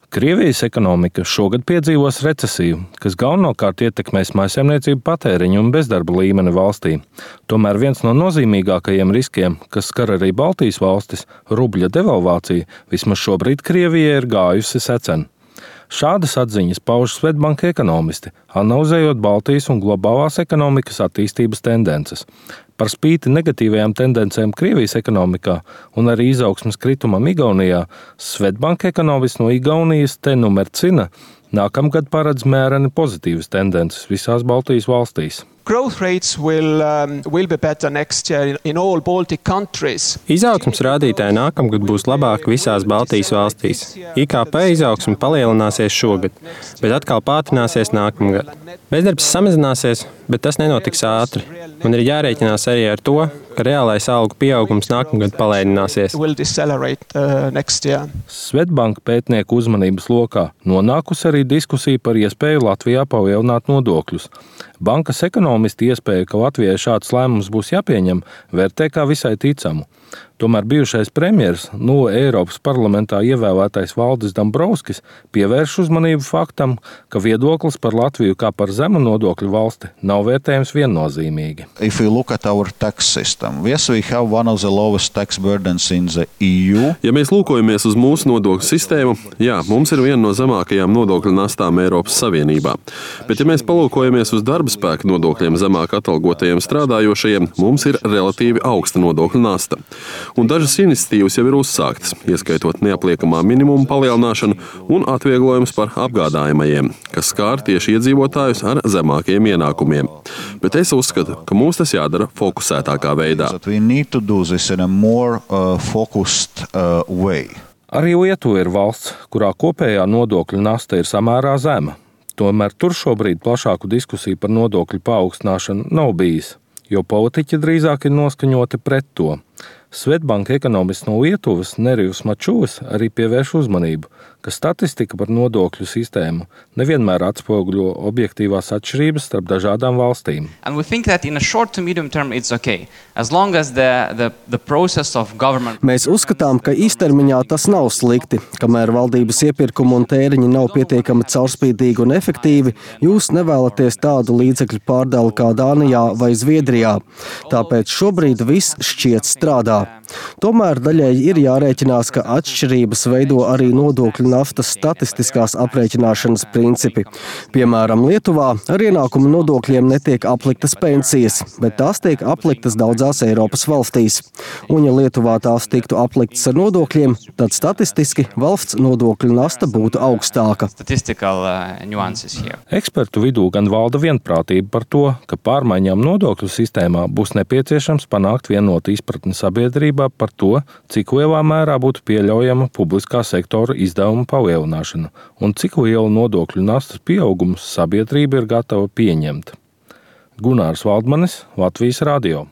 Krievijas ekonomika šogad piedzīvos recesiju, kas galvenokārt ietekmēs mājsaimniecību patēriņu un bezdarba līmeni valstī. Tomēr viens no nozīmīgākajiem riskiem, kas skar arī Baltijas valstis, rubļa devalvācija, vismaz šobrīd Krievijai ir gājusi secen. Šādas atziņas pauž Swedbank ekonomisti, analizējot Baltijas un globālās ekonomikas attīstības tendences. Par spīti negatīvajām tendencēm Krievijas ekonomikā un arī izaugsmes kritumam Igaunijā, Swedbank ekonomists no Igaunijas Teinu Mercina nākamgad paredz mēreni pozitīvas tendences visās Baltijas valstīs. Growth rates will be better next year in all Baltic countries. Izaugsmes rādītāji nākamgad būs labāki visās Baltijas valstīs. IKP izaugsme palielināsies šogad, bet atkal pātrināsies nākamgad. Bezdarbs samazināsies, bet tas nenotiks ātri. Un ir jārēķinās arī ar to, ka reālais algu pieaugums nākamgad palēnināsies. Swedbank pētnieku uzmanības lokā nonākusi arī diskusija par iespēju Latvijā palielināt nodokļus. Bankas ekonomisti iespēju, ka Latvijai šāds lēmums būs jāpieņem, vērtē kā visai ticamu. Tomēr bijušais premjers, Eiropas parlamentā ievēlētais Valdis Dombrovskis, pievērš uzmanību faktam, ka viedoklis par Latviju kā par zemu nodokļu valsti nav vērtējams viennozīmīgi. Ja mēs lūkojamies uz mūsu nodokļu sistēmu, jā, mums ir viena no zemākajām nodokļu nastām Eiropas Savienībā. Bet ja mēs palūkojamies uz darba spēka nodokļiem zemāk atalgotajiem strādājošajiem, mums ir relatīvi augsta nodokļu nasta. Un dažas iniciatīvas jau ir uzsāktas, ieskaitot neapliekamā minimuma palielināšanu un atvieglojums par apgādājamajiem, kas skār tieši iedzīvotājus ar zemākiem ienākumiem. Bet es uzskatu, ka mums tas jādara fokusētākā veidā. Arī Lietuva ir valsts, kurā kopējā nodokļu nasta ir samērā zema. Tomēr tur šobrīd plašāku diskusiju par nodokļu paaugstināšanu nav bijis, jo politiķi drīzāk ir noskaņoti pret to. Swedbank ekonomists no Lietuvas Nerijus Mačūs arī pievērš uzmanību, ka statistika par nodokļu sistēmu nevienmēr atspoguļo objektīvās atšķirības starp dažādām valstīm. Mēs uzskatām, ka īstermiņā tas nav slikti. Kamēr valdības iepirkumi un tēriņi nav pietiekami caurspīdīgi un efektīvi, jūs nevēlaties tādu līdzekļu pārdali kā Dānijā vai Zviedrijā. Tāpēc šobrīd viss šķiet strādā. Tomēr daļēji ir jārēķinās, ka atšķirības veido arī nodokļu naftas statistiskās aprēķināšanas principi. Piemēram, Lietuvā ar ienākumu nodokļiem netiek apliktas pensijas, bet tās tiek apliktas daudzās Eiropas valstīs. Un ja Lietuvā tās tiktu apliktas ar nodokļiem, tad statistiski valsts nodokļu nasta būtu augstāka. Ekspertu vidū gan valda vienprātība par to, ka pārmaiņām nodokļu sistēmā būs nepieciešams panākt vienotu izpratni sabiedrībā par to, cik lielā mērā būtu pieļaujama publiskā sektora izdevuma palielināšana un cik lielu nodokļu nastas pieaugumus sabiedrība ir gatava pieņemt. Gunārs Valdmanis, Latvijas radio.